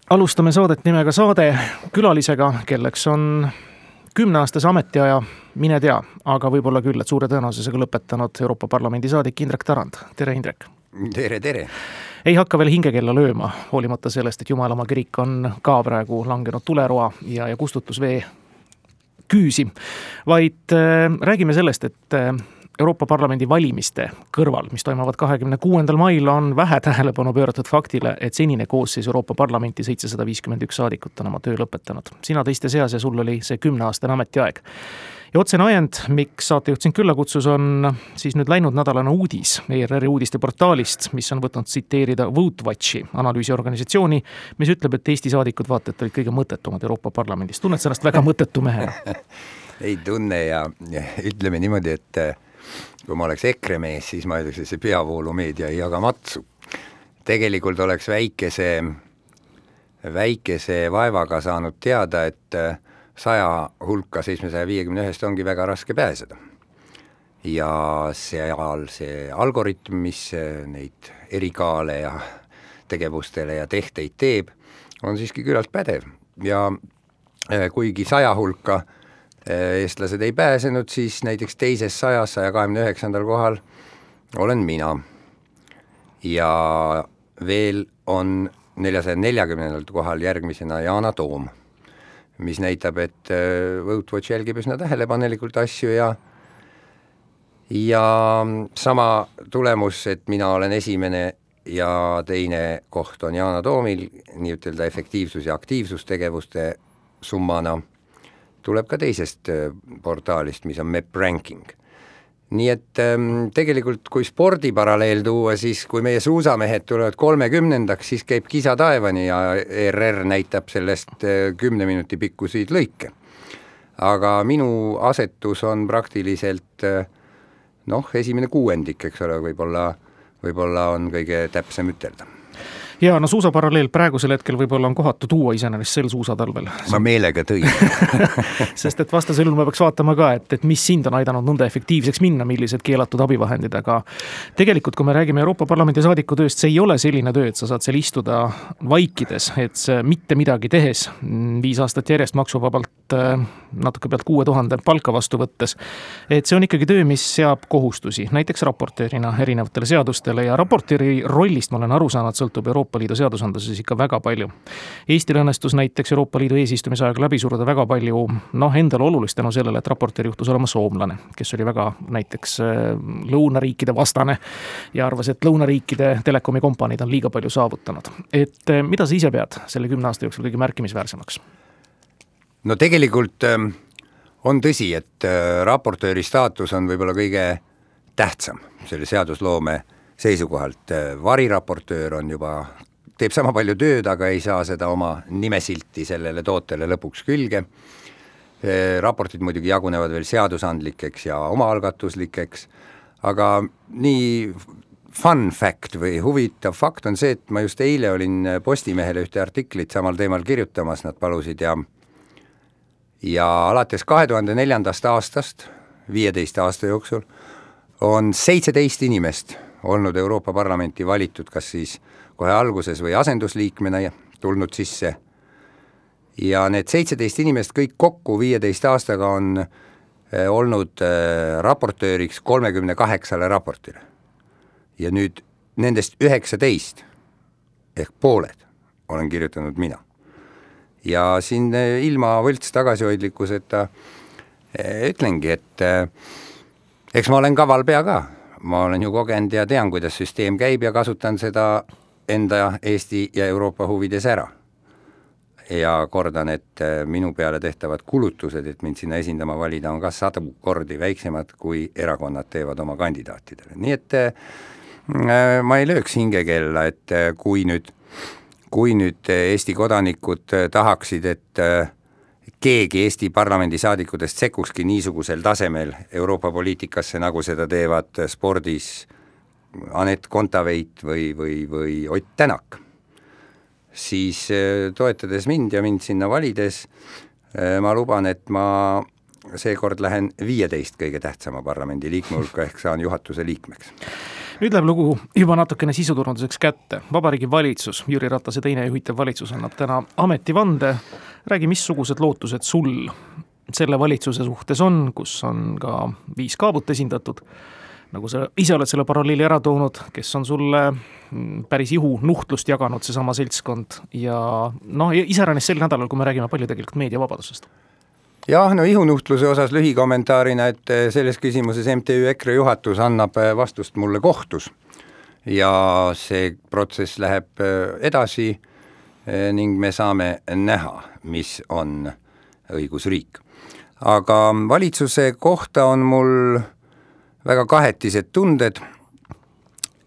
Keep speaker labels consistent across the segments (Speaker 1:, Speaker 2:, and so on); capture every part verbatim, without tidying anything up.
Speaker 1: Alustame saadet nimega Saade külalisega, kelleks on kümneaastase ametiaja, mine tea, aga võib-olla küll, et suure tõenäosusega lõpetanud Euroopa Parlamendi saadik Indrek Tarand. Tere, Indrek!
Speaker 2: Tere, tere!
Speaker 1: Ei hakka veel hingekella lööma, hoolimata sellest, et Jumalamaa kirik on ka praegu langenud tuleroa ja, ja kustutusvee küüsi, vaid äh, räägime sellest, et äh, Euroopa Parlamendi valimiste kõrval, mis toimuvad kahekümne kuuendal mail, on vähe tähelepanu pööratud faktile, et senine koosseis Euroopa Parlamenti seitsesada viiskümmend üks saadikut on oma töö lõpetanud. Sina teiste seas ja sul oli see kümneaastane ametiaeg. Ja otsene ajend, miks saatejuht sind külla kutsus, on siis nüüd läinud nädalane uudis E R R-i uudiste portaalist, mis on võtnud tsiteerida VoteWatchi analüüsiorganisatsiooni, mis ütleb, et Eesti saadikud vaata, et olid kõige mõttetumad Euroopa Parlamendis. Tunned sellest väga mõttetu mehena?
Speaker 2: Ei tunne ja, ja ütleme niimoodi, et kui ma oleks EKRE mees, siis ma ütleks, et see peavoolumeedia ei jaga matsu. Tegelikult oleks väikese, väikese vaevaga saanud teada, et saja hulka seitsmesaja viiekümne ühest ongi väga raske pääseda. Ja seal see algoritm, mis neid erikaale ja tegevustele ja tehteid teeb, on siiski küllalt pädev. Ja kuigi saja hulka eestlased ei pääsenud, siis näiteks teises sajas, saja kahekümne üheksandal kohal olen mina. Ja veel on neljasaja neljakümnendal kohal järgmisena Yana Toom, mis näitab, et VoteWatch jälgib üsna tähelepanelikult asju ja, ja sama tulemus, et mina olen esimene ja teine koht on Yana Toomil, nii ütelda efektiivsus- ja aktiivsustegevuste summana, tuleb ka teisest portaalist, mis on Mep Ranking. Nii et ähm, tegelikult kui spordiparalleel tuua, siis kui meie suusamehed tulevad kolmekümnendaks, siis käib kisa taevani ja E R R näitab sellest kümne minuti pikkusid lõike. Aga minu asetus on praktiliselt noh, esimene kuuendik, eks ole, võib-olla, võib-olla on kõige täpsem ütelda.
Speaker 1: Ja no suusaparalleel praegusel hetkel võib-olla on kohatu tuua iseenesest sel suusatalvel.
Speaker 2: Ma meelega tõin.
Speaker 1: Sest et vastasel juhul me peaks vaatama ka, et, et mis sind on aidanud nõnda efektiivseks minna, millised keelatud abivahendid, aga tegelikult, kui me räägime Euroopa Parlamendi saadiku tööst, see ei ole selline töö, et sa saad seal istuda vaikides, et see mitte midagi tehes, viis aastat järjest maksuvabalt natuke pealt kuue tuhande palka vastu võttes, et see on ikkagi töö, mis seab kohustusi, näiteks raportöörina erinevatele seadustele ja raportööri rollist ma olen aru saanud, sõltub Euroopa Euroopa Liidu seadusandluses ikka väga palju. Eestil õnnestus näiteks Euroopa Liidu eesistumise ajaga läbi suruda väga palju noh, endale olulist tänu sellele, et raportöör juhtus olema soomlane, kes oli väga näiteks lõunariikide vastane ja arvas, et lõunariikide telekomi kompaniid on liiga palju saavutanud. Et mida sa ise pead selle kümne aasta jooksul kõige märkimisväärsemaks?
Speaker 2: No tegelikult on tõsi, et raportööri staatus on võib-olla kõige tähtsam selle seadusloome seisukohalt. Variraportöör on juba, teeb sama palju tööd, aga ei saa seda oma nimesilti sellele tootele lõpuks külge. Raportid muidugi jagunevad veel seadusandlikeks ja omaalgatuslikeks, aga nii fun fact või huvitav fakt on see, et ma just eile olin Postimehele ühte artiklit samal teemal kirjutamas, nad palusid ja ja alates kahe tuhande neljandast aastast, viieteist aasta jooksul, on seitseteist inimest olnud Euroopa Parlamenti valitud, kas siis kohe alguses või asendusliikmena tulnud sisse. Ja need seitseteist inimest kõik kokku viieteist aastaga on olnud raportööriks kolmekümne kaheksale raportile. Ja nüüd nendest üheksateist ehk pooled olen kirjutanud mina. Ja siin ilma võlts tagasihoidlikkuseta ütlengi, et eks ma olen kaval pea ka. Ma olen ju kogenud ja tean, kuidas süsteem käib ja kasutan seda enda Eesti ja Euroopa huvides ära. Ja kordan, et minu peale tehtavad kulutused, et mind sinna esindama valida, on ka sadu kordi väiksemad, kui erakonnad teevad oma kandidaatidele. Nii et ma ei lööks hingekella, et kui nüüd, kui nüüd Eesti kodanikud tahaksid, et keegi Eesti parlamendi saadikutest sekkukski niisugusel tasemel Euroopa poliitikasse, nagu seda teevad spordis Anett Kontaveit või, või, või Ott Tänak, siis toetades mind ja mind sinna valides, ma luban, et ma seekord lähen viieteist kõige tähtsama parlamendi liikme hulka ehk saan juhatuse liikmeks.
Speaker 1: Nüüd läheb lugu juba natukene sisuturunduseks kätte. Vabariigi valitsus, Jüri Ratase teine juhitav valitsus annab täna ametivande. Räägi, missugused lootused sul selle valitsuse suhtes on, kus on ka viis kaabut esindatud, nagu sa ise oled selle paralleeli ära toonud, kes on sulle päris ihu nuhtlust jaganud seesama seltskond ja noh, iseäranis sel nädalal, kui me räägime palju tegelikult meediavabadusest.
Speaker 2: Jah, no ihunuhtluse osas lühikommentaarina, et selles küsimuses M T Ü EKRE juhatus annab vastust mulle kohtus ja see protsess läheb edasi ning me saame näha, mis on õigusriik. Aga valitsuse kohta on mul väga kahetised tunded,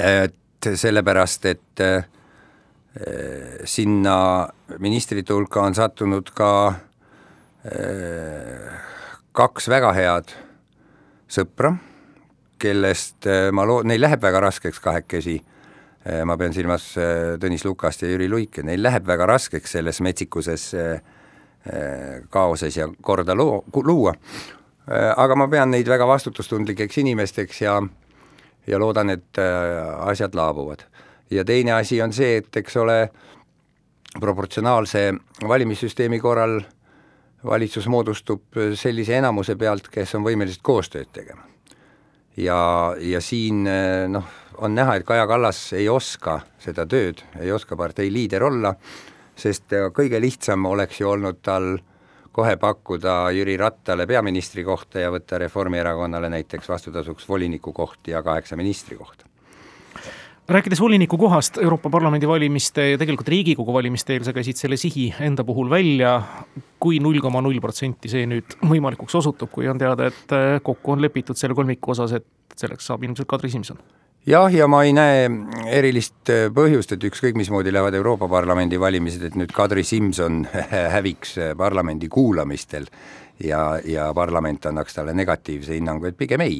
Speaker 2: et sellepärast, et sinna ministrite hulka on sattunud ka kaks väga head sõpra, kellest ma loo-, neil läheb väga raskeks kahekesi, ma pean silmas Tõnis Lukast ja Jüri Luike, neil läheb väga raskeks selles metsikuses kaoses ja korda loo, luua, aga ma pean neid väga vastutustundlikeks inimesteks ja, ja loodan, et asjad laabuvad. Ja teine asi on see, et eks ole proportsionaalse valimissüsteemi korral valitsus moodustub sellise enamuse pealt, kes on võimelised koostööd tegema. Ja, ja siin noh, on näha, et Kaja Kallas ei oska seda tööd, ei oska partei liider olla, sest kõige lihtsam oleks ju olnud tal kohe pakkuda Jüri Rattale peaministri kohta ja võtta Reformierakonnale näiteks vastutasuks voliniku koht ja kaheksa ministri kohta.
Speaker 1: Rääkides voliniku kohast Euroopa Parlamendi valimiste ja tegelikult Riigikogu valimiste eel, sa käisid selle sihi enda puhul välja, kui null koma null protsenti see nüüd võimalikuks osutub, kui on teada, et kokku on lepitud selle kolmiku osas, et selleks saab ilmselt Kadri Simson. Jah,
Speaker 2: ja ma ei näe erilist põhjust, et ükskõik mismoodi lähevad Euroopa Parlamendi valimised, et nüüd Kadri Simson häviks parlamendi kuulamistel ja, ja parlament annaks talle negatiivse hinnangu, et pigem ei.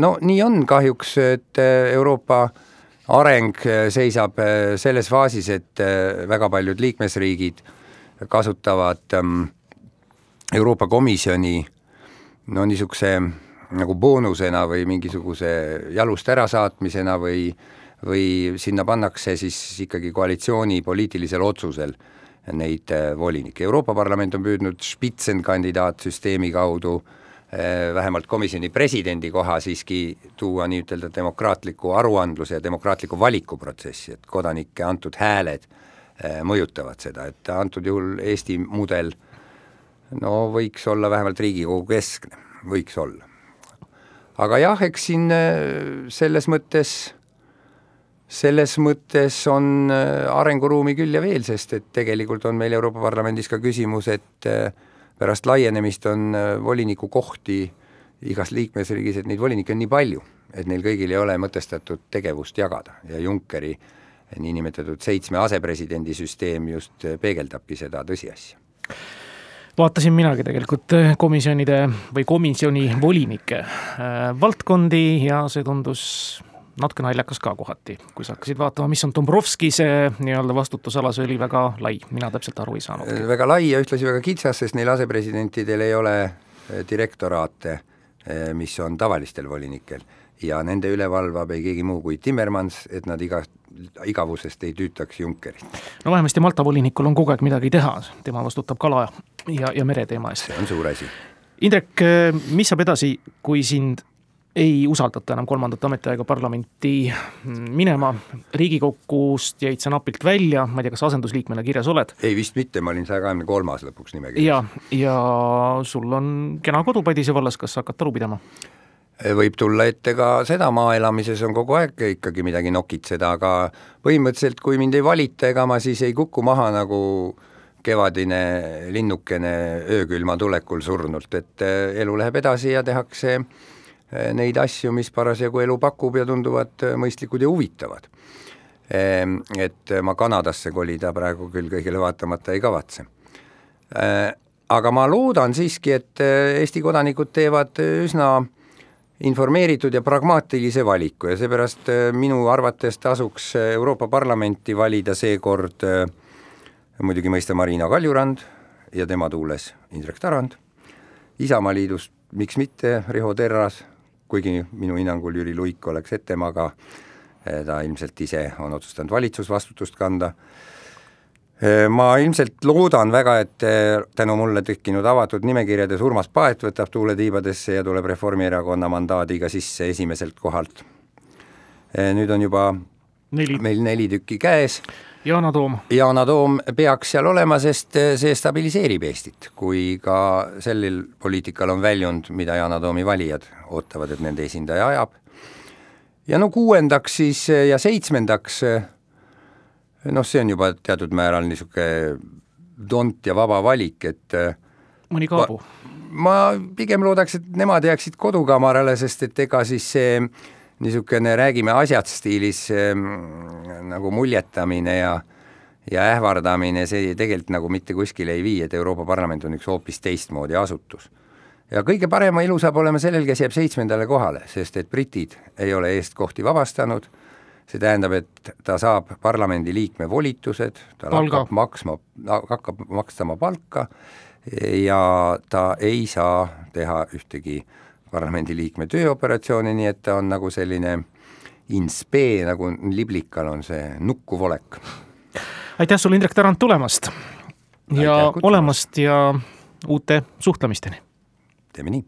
Speaker 2: No nii on kahjuks, et Euroopa areng seisab selles faasis, et väga paljud liikmesriigid kasutavad Euroopa Komisjoni no niisuguse nagu boonusena või mingisuguse jalust ära saatmisena või, või sinna pannakse siis ikkagi koalitsiooni poliitilisel otsusel neid volinike. Euroopa Parlament on püüdnud spitsenkandidaat-süsteemi kaudu vähemalt komisjoni presidendi koha siiski tuua nii ütelda demokraatliku aruandluse ja demokraatliku valikuprotsessi, et kodanike antud hääled mõjutavad seda, et antud juhul Eesti mudel no võiks olla vähemalt Riigikogu keskne, võiks olla. Aga jah, eks siin selles mõttes, selles mõttes on arenguruumi küll ja veel, sest et tegelikult on meil Euroopa Parlamendis ka küsimus, et pärast laienemist on voliniku kohti igas liikmesriigis, et neid volinikke on nii palju, et neil kõigil ei ole mõtestatud tegevust jagada ja Junckeri niinimetatud seitsme asepresidendi süsteem just peegeldabki seda tõsiasja.
Speaker 1: Vaatasin minagi tegelikult komisjonide või komisjoni volinike valdkondi ja see tundus natuke naljakas ka kohati, kui sa hakkasid vaatama, mis on Dombrovski, see nii-öelda vastutusala, see oli väga lai, mina täpselt aru ei saanud.
Speaker 2: Väga lai ja ühtlasi väga kitsas, sest neil asepresidentidel ei ole direktoraate, mis on tavalistel volinikel ja nende üle valvab ei keegi muu kui Timmermans, et nad iga, igavusest ei tüütaks Junckerit.
Speaker 1: No vähemasti Malta volinikul on kogu aeg midagi teha, tema vastutab kala ja, ja mereteema eest.
Speaker 2: See on suur asi.
Speaker 1: Indrek, mis saab edasi, kui sind ei usaldata enam kolmandat ametiaega parlamenti minema? Riigikogust jäid sa napilt välja, ma ei tea, kas asendusliikmena kirjas oled?
Speaker 2: Ei vist mitte, ma olin saja kahekümne kolmas lõpuks nimekirjas.
Speaker 1: Ja, ja sul on kena kodupadise vallas, kas hakkad talu pidama?
Speaker 2: Võib tulla ette ka seda, maaelamises on kogu aeg ikkagi midagi nokitseda, aga põhimõtteliselt kui mind ei valita, ega ma siis ei kuku maha nagu kevadine linnukene öökülma tulekul surnult, et elu läheb edasi ja tehakse neid asju, mis parasjagu elu pakub ja tunduvad mõistlikud ja huvitavad. Et ma Kanadasse kolida praegu küll kõigile vaatamata ei kavatse. Aga ma loodan siiski, et Eesti kodanikud teevad üsna informeeritud ja pragmaatilise valiku ja seepärast minu arvates tasuks Euroopa Parlamenti valida seekord muidugi mõista Marina Kaljurand ja tema tuules Indrek Tarand, Isamaa liidust miks mitte Riho Terras, kuigi minu hinnangul Jüri Luik oleks ettemaga, ta ilmselt ise on otsustanud valitsusvastutust kanda. Ma ilmselt loodan väga, et tänu mulle tekkinud avatud nimekirjades Urmas Paet võtab tuule tiibadesse ja tuleb Reformierakonna mandaadiga sisse esimeselt kohalt. Nüüd on juba neli. meil neli tükki käes.
Speaker 1: Yana Toom.
Speaker 2: Yana Toom peaks seal olema, sest see stabiliseerib Eestit, kui ka sellel poliitikal on väljund, mida Yana Toomi valijad ootavad, et nende esindaja ajab. Ja no kuuendaks siis ja seitsmendaks, noh, see on juba teatud määral niisuke tont ja vaba valik, et
Speaker 1: mõni kaabu.
Speaker 2: Ma, ma pigem loodaks, et nemad jääksid kodukamarale, sest et ega siis see niisugune räägime asjad stiilis nagu muljetamine ja, ja ähvardamine, see tegelikult nagu mitte kuskile ei vii, et Euroopa Parlament on üks hoopis teistmoodi asutus. Ja kõige parema ilu saab olema sellel, kes jääb seitsmendale kohale, sest et britid ei ole eest kohti vabastanud, see tähendab, et ta saab parlamendi liikme volitused, ta hakkab maksma, hakkab makstama palka ja ta ei saa teha ühtegi parlamendi liikme tööoperatsiooni, nii et ta on nagu selline inspee, nagu liblikal on see nukkuv olek.
Speaker 1: Aitäh sulle, Indrek Tarand, tulemast ja
Speaker 2: Aitäh,
Speaker 1: olemast ja uute suhtlemisteni.
Speaker 2: Teeme nii.